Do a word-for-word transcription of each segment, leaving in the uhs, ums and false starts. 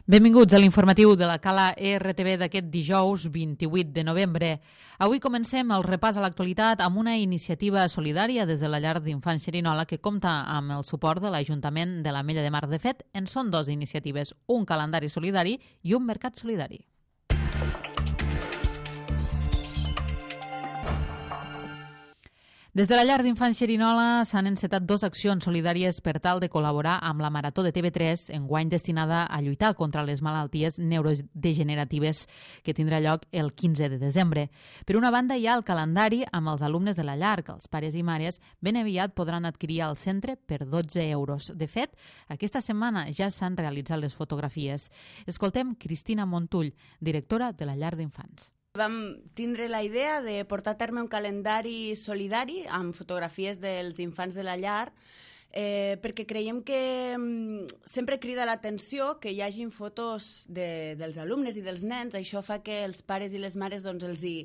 Benvinguts a l'informatiu de la Cala E R T V d'aquest dijous vint-i-vuit de novembre. Avui comencem el repàs a l'actualitat amb una iniciativa solidària des de la llar d'infants Xerinola que compta amb el suport de l'Ajuntament de l'Ametlla de Mar. De fet, en són dues iniciatives, un calendari solidari i un mercat solidari. Des de la llar d'infants Xerinola s'han encetat dues accions solidàries per tal de col·laborar amb la Marató de T V tres, enguany destinada a lluitar contra les malalties neurodegeneratives que tindrà lloc el quinze de desembre. Per una banda, hi ha el calendari amb els alumnes de la llar, que els pares i mares ben aviat podran adquirir al centre per dotze euros. De fet, aquesta setmana ja s'han realitzat les fotografies. Escoltem Cristina Montull, directora de la llar d'infants. Vam tindre la idea de portar a terme un calendari solidari amb fotografies dels infants de la llar eh, perquè creiem que mm, sempre crida l'atenció que hi hagin fotos de, dels alumnes i dels nens. Això fa que els pares i les mares doncs, els hi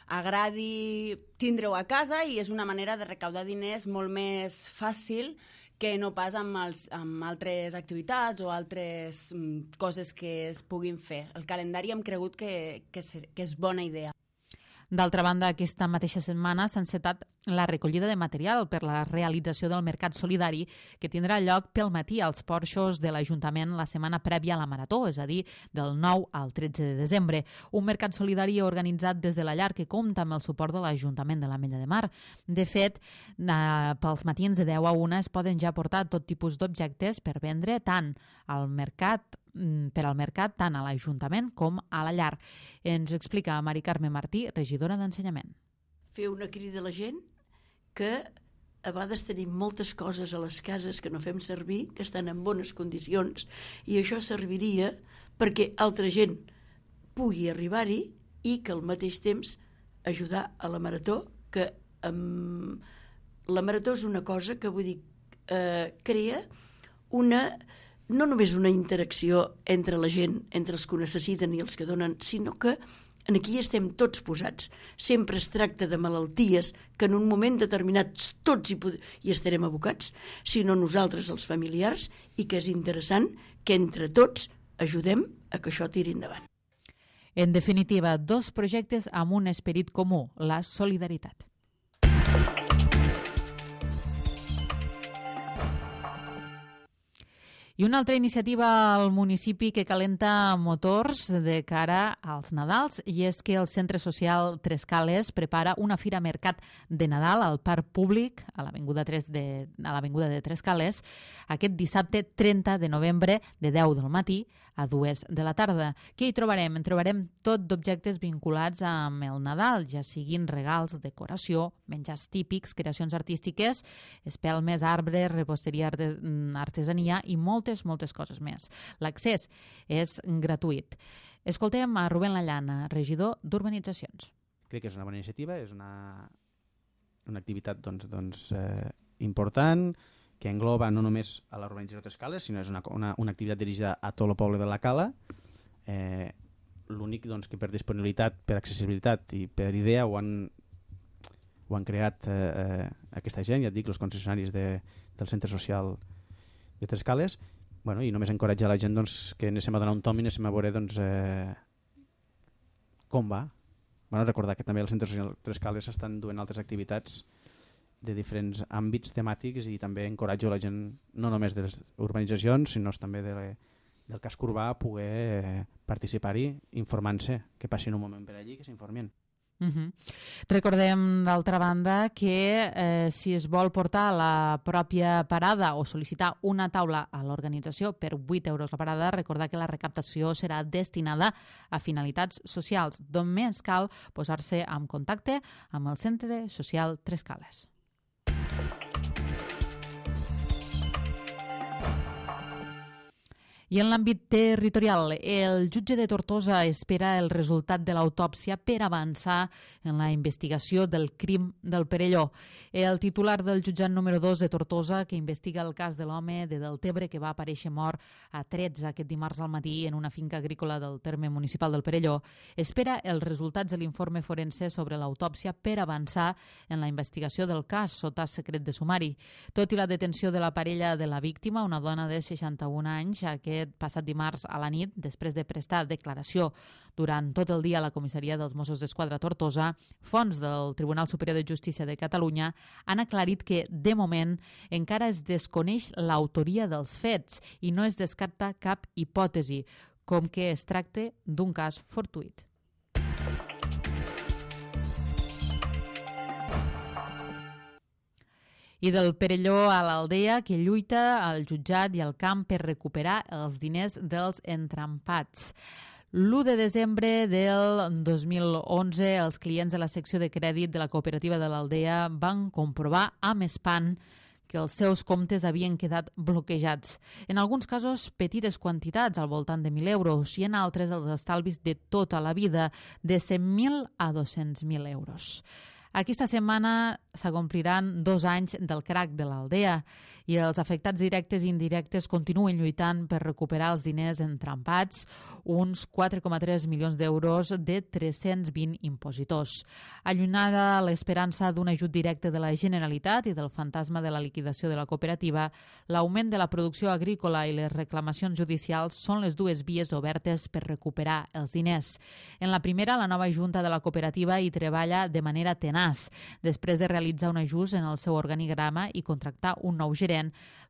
agradi tindre-ho a casa i és una manera de recaudar diners molt més fàcil que no pas amb, els, amb altres activitats o altres mm, coses que es puguin fer. El calendari hem cregut que, que, que és bona idea. D'altra banda, aquesta mateixa setmana s'ha encetat la recollida de material per la realització del mercat solidari que tindrà lloc pel matí als porxos de l'Ajuntament la setmana prèvia a la Marató, és a dir, del nou al tretze de desembre. Un mercat solidari organitzat des de la llar que compta amb el suport de l'Ajuntament de l'Ametlla de Mar. De fet, eh, pels matins de deu a una es poden ja portar tot tipus d'objectes per vendre tant al mercat per al mercat tant a l'Ajuntament com a la llar. Ens explica Mari Carme Martí, regidora d'Ensenyament. Fer una crida a la gent que a vegades tenim moltes coses a les cases que no fem servir, que estan en bones condicions, i això serviria perquè altra gent pugui arribar-hi i que al mateix temps ajudar a la Marató, que um, la Marató és una cosa que, vull dir, eh, crea una... no només una interacció entre la gent, entre els que ho necessiten i els que donen, sinó que aquí estem tots posats. Sempre es tracta de malalties que en un moment determinat tots hi, hi estarem abocats, sinó nosaltres, els familiars, i que és interessant que entre tots ajudem a que això tiri endavant. En definitiva, dos projectes amb un esperit comú, la solidaritat. I una altra iniciativa al municipi que calenta motors de cara als Nadals, i és que el Centre Social Tres Cales prepara una fira mercat de Nadal al Parc Públic a l'Avinguda de, a l'Avinguda de Tres Cales aquest dissabte trenta de novembre de deu del matí a dues de la tarda. Què hi trobarem? En trobarem tot d'objectes vinculats amb el Nadal, ja siguin regals, decoració, menjars típics, creacions artístiques, espelmes, arbres, reposteria, artesania i moltes, moltes coses més. L'accés és gratuït. Escoltem a Rubén Lallana, regidor d'Urbanitzacions. Crec que és una bona iniciativa, és una, una activitat doncs, doncs, eh, important, que engloba no només a l'urbanització Tres Cales, sinó és una, una, una activitat dirigida a tot el poble de la Cala. Eh, L'únic doncs, que per disponibilitat, per accessibilitat i per idea ho han, ho han creat eh, eh, aquesta gent, ja et dic, els concessionaris de, del Centre Social de Tres Cales. Bueno, i només encoratjar la gent doncs, que anem a donar un tom i anem a veure doncs, eh, com va. Bueno, recordar que també el Centre Social Tres Cales estan duent altres activitats de diferents àmbits temàtics i també encoratjo la gent, no només de les urbanitzacions, sinó també de, del casc urbà, a poder eh, participar-hi informant-se, que passin un moment per allí, que s'informin. Uh-huh. Recordem, d'altra banda, que eh, si es vol portar la pròpia parada o sol·licitar una taula a l'organització per vuit euros la parada, recordar que la recaptació serà destinada a finalitats socials. Només cal posar-se en contacte amb el Centre Social Tres Cales. I en l'àmbit territorial, el jutge de Tortosa espera el resultat de l'autòpsia per avançar en la investigació del crim del Perelló. El titular del jutjat número dos de Tortosa, que investiga el cas de l'home de Deltebre que va aparèixer mort a tretze aquest dimarts al matí en una finca agrícola del terme municipal del Perelló, espera els resultats de l'informe forense sobre l'autòpsia per avançar en la investigació del cas sota secret de sumari. Tot i la detenció de la parella de la víctima, una dona de seixanta-un anys, aquest aquest passat dimarts a la nit, després de prestar declaració durant tot el dia a la comissaria dels Mossos d'Esquadra Tortosa, fonts del Tribunal Superior de Justícia de Catalunya han aclarit que, de moment, encara es desconeix l'autoria dels fets i no es descarta cap hipòtesi, com que es tracta d'un cas fortuït. I del Perelló a l'Aldea, que lluita al jutjat i al camp per recuperar els diners dels entrampats. L'u de desembre del dos mil onze, els clients de la secció de crèdit de la cooperativa de l'Aldea van comprovar amb espant que els seus comptes havien quedat bloquejats. En alguns casos, petites quantitats, al voltant de mil euros, i en altres els estalvis de tota la vida, de cent mil a dos-cents mil euros. Aquesta setmana s'acompliran dos anys del crac de l'Aldea i els afectats directes i indirectes continuen lluitant per recuperar els diners entrampats, uns quatre coma tres milions d'euros de tres-cents vint impositors. Allunyada l'esperança d'un ajut directe de la Generalitat i del fantasma de la liquidació de la cooperativa, l'augment de la producció agrícola i les reclamacions judicials són les dues vies obertes per recuperar els diners. En la primera, la nova junta de la cooperativa hi treballa de manera tenaç. Després de realitzar un ajust en el seu organigrama i contractar un nou gerent,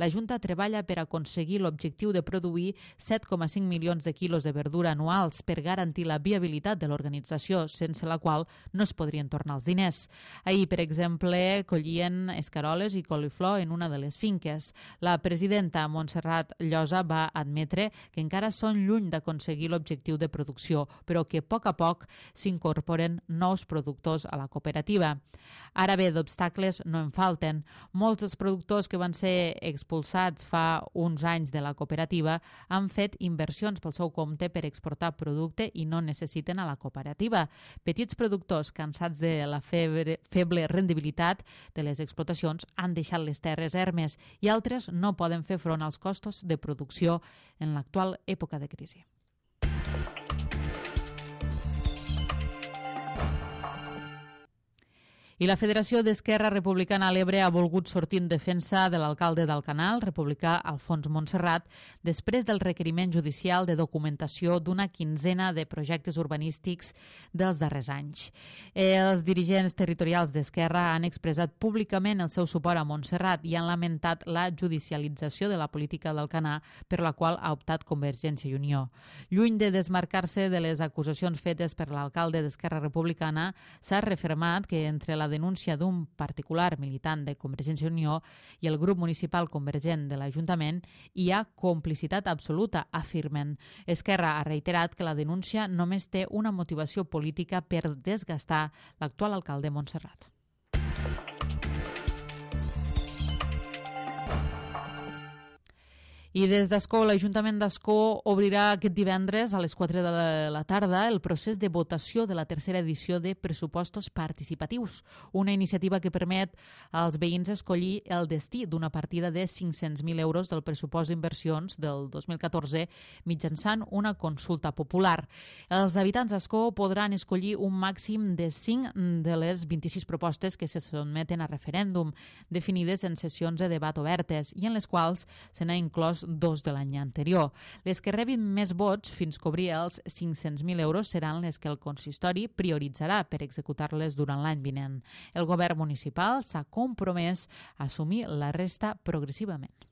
la Junta treballa per aconseguir l'objectiu de produir set coma cinc milions de quilos de verdura anuals per garantir la viabilitat de l'organització, sense la qual no es podrien tornar els diners. Ahir, per exemple, collien escaroles i coliflor en una de les finques. La presidenta Montserrat Llosa va admetre que encara són lluny d'aconseguir l'objectiu de producció, però que a poc a poc s'incorporen nous productors a la cooperativa. Ara bé, d'obstacles no en falten. Molts dels productors que van ser expulsats fa uns anys de la cooperativa han fet inversions pel seu compte per exportar producte i no necessiten a la cooperativa. Petits productors cansats de la febre, feble rendibilitat de les explotacions han deixat les terres ermes i altres no poden fer front als costos de producció en l'actual època de crisi. I la Federació d'Esquerra Republicana a l'Ebre ha volgut sortir en defensa de l'alcalde d'Alcanal, republicà Alfons Montserrat, després del requeriment judicial de documentació d'una quinzena de projectes urbanístics dels darrers anys. Els dirigents territorials d'Esquerra han expressat públicament el seu suport a Montserrat i han lamentat la judicialització de la política d'Alcanar per la qual ha optat Convergència i Unió. Lluny de desmarcar-se de les acusacions fetes per l'alcalde d'Esquerra Republicana, s'ha refermat que entre la la denúncia d'un particular militant de Convergència i Unió i el grup municipal convergent de l'Ajuntament hi ha complicitat absoluta, afirmen. Esquerra ha reiterat que la denúncia només té una motivació política per desgastar l'actual alcalde Montserrat. I des d'Ascó, l'Ajuntament d'Ascó obrirà aquest divendres a les quatre de la tarda el procés de votació de la tercera edició de pressupostos participatius, una iniciativa que permet als veïns escollir el destí d'una partida de cinc-cents mil euros del pressupost d'inversions del dos mil catorze mitjançant una consulta popular. Els habitants d'Ascó podran escollir un màxim de cinc de les vint-i-sis propostes que se sotmeten a referèndum, definides en sessions de debat obertes i en les quals se n'ha inclòs dos de l'any anterior. Les que rebin més vots fins cobrir els cinc-cents mil euros seran les que el consistori prioritzarà per executar-les durant l'any vinent. El govern municipal s'ha compromès a assumir la resta progressivament.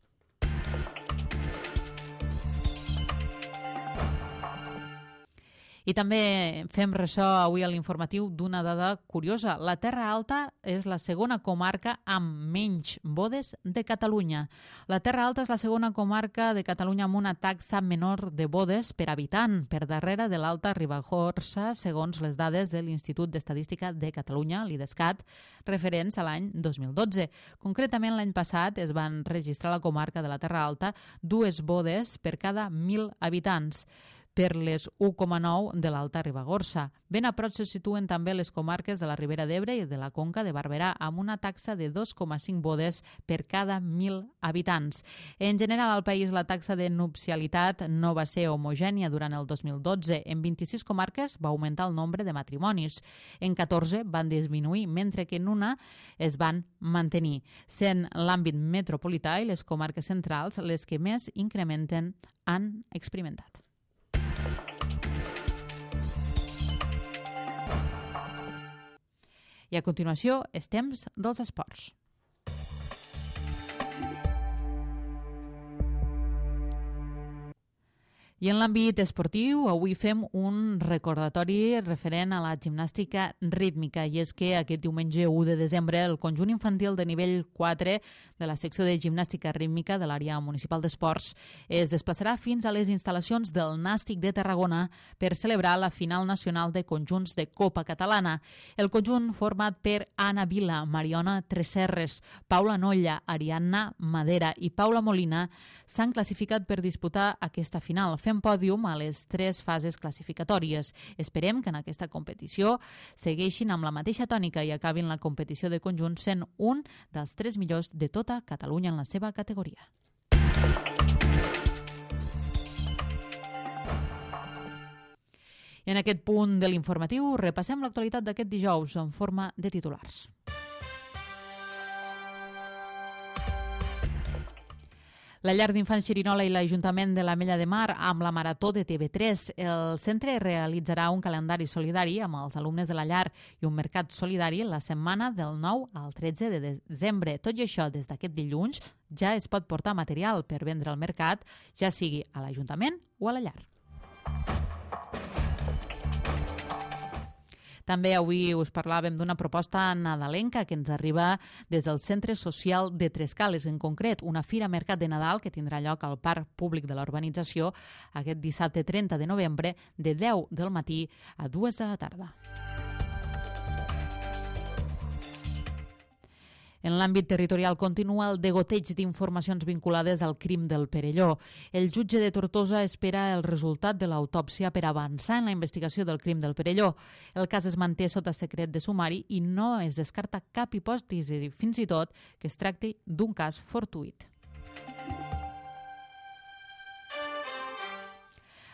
I també fem ressò avui a l'informatiu d'una dada curiosa. La Terra Alta és la segona comarca amb menys bodes de Catalunya. La Terra Alta és la segona comarca de Catalunya amb una taxa menor de bodes per habitant, per darrere de l'Alta Ribagorça, segons les dades de l'Institut d'Estadística de Catalunya, l'IDESCAT, referents a l'any dos mil dotze. Concretament, l'any passat es van registrar a la comarca de la Terra Alta dues bodes per cada mil habitants. per les u coma nou de l'Alta Ribagorça. Ben a prop se situen també les comarques de la Ribera d'Ebre i de la Conca de Barberà, amb una taxa de dos coma cinc bodes per cada mil habitants. En general, al país la taxa de nupcialitat no va ser homogènia durant el dos mil dotze. En vint-i-sis comarques va augmentar el nombre de matrimonis. En catorze van disminuir, mentre que en una es van mantenir, sent l'àmbit metropolità i les comarques centrals les que més incrementen han experimentat. I a continuació, és temps dels esports. I en l'àmbit esportiu, avui fem un recordatori referent a la gimnàstica rítmica, i és que aquest diumenge u de desembre el conjunt infantil de nivell quatre de la secció de gimnàstica rítmica de l'àrea municipal d'esports es desplaçarà fins a les instal·lacions del Nàstic de Tarragona per celebrar la final nacional de conjunts de Copa Catalana. El conjunt, format per Anna Vila, Mariona Tresserres, Paula Nolla, Ariadna Madera i Paula Molina, s'han classificat per disputar aquesta final, fent pòdium a les tres fases classificatòries. Esperem que en aquesta competició segueixin amb la mateixa tònica i acabin la competició de conjunt sent un dels tres millors de tota Catalunya en la seva categoria. I en aquest punt de l'informatiu repassem l'actualitat d'aquest dijous en forma de titulars. La llar d'infants Xerinola i l'Ajuntament de l'Ametlla de Mar amb la Marató de T V tres. El centre realitzarà un calendari solidari amb els alumnes de la llar i un mercat solidari la setmana del nou al tretze de desembre. Tot i això, des d'aquest dilluns ja es pot portar material per vendre al mercat, ja sigui a l'Ajuntament o a la llar. També avui us parlàvem d'una proposta nadalenca que ens arriba des del Centre Social de Trescales, en concret una fira mercat de Nadal que tindrà lloc al Parc Públic de la urbanització aquest dissabte trenta de novembre de deu del matí a dues de la tarda. En l'àmbit territorial continua el degoteig d'informacions vinculades al crim del Perelló. El jutge de Tortosa espera el resultat de l'autòpsia per avançar en la investigació del crim del Perelló. El cas es manté sota secret de sumari i no es descarta cap hipòtesi, fins i tot que es tracti d'un cas fortuït.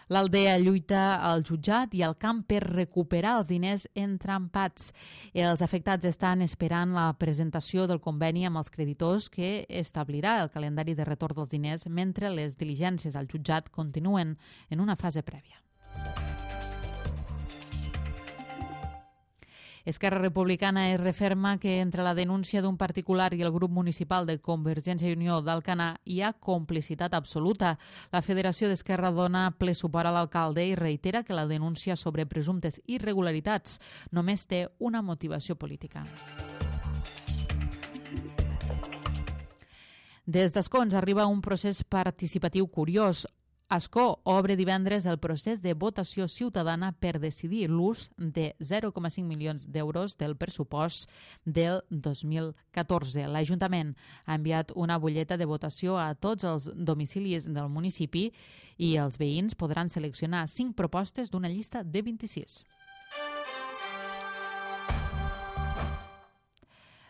L'Aldea lluita al jutjat i al camp per recuperar els diners entrampats. Els afectats estan esperant la presentació del conveni amb els creditors que establirà el calendari de retorn dels diners mentre les diligències al jutjat continuen en una fase prèvia. Esquerra Republicana es referma que entre la denúncia d'un particular i el grup municipal de Convergència i Unió d'Alcanar hi ha complicitat absoluta. La Federació d'Esquerra dona ple suport a l'alcalde i reitera que la denúncia sobre presumptes irregularitats només té una motivació política. Des d'Escó ens arriba un procés participatiu curiós. Ascó obre divendres el procés de votació ciutadana per decidir l'ús de zero coma cinc milions d'euros del pressupost del dos mil catorze. L'Ajuntament ha enviat una butlleta de votació a tots els domicilis del municipi i els veïns podran seleccionar cinc propostes d'una llista de vint-i-sis.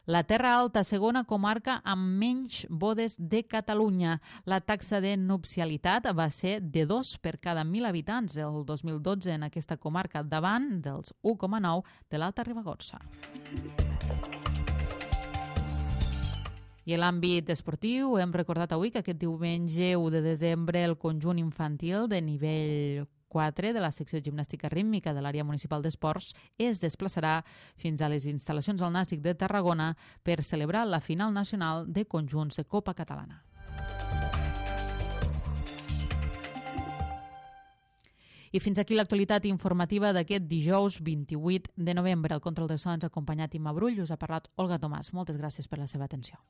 La Terra Alta, segona comarca amb menys bodes de Catalunya. La taxa de nupcialitat va ser de dos per cada mil habitants el dos mil dotze en aquesta comarca, davant dels u coma nou de l'Alta Ribagorça. I en l'àmbit esportiu hem recordat avui que aquest diumenge u de desembre el conjunt infantil de nivell quatre de la secció de gimnàstica rítmica de l'àrea municipal d'esports es desplaçarà fins a les instal·lacions del Nàstic de Tarragona per celebrar la final nacional de conjunts de Copa Catalana. I fins aquí l'actualitat informativa d'aquest dijous vint-i-vuit de novembre. El control de so ens ha acompanyat Imma Brull, us ha parlat Olga Tomàs. Moltes gràcies per la seva atenció.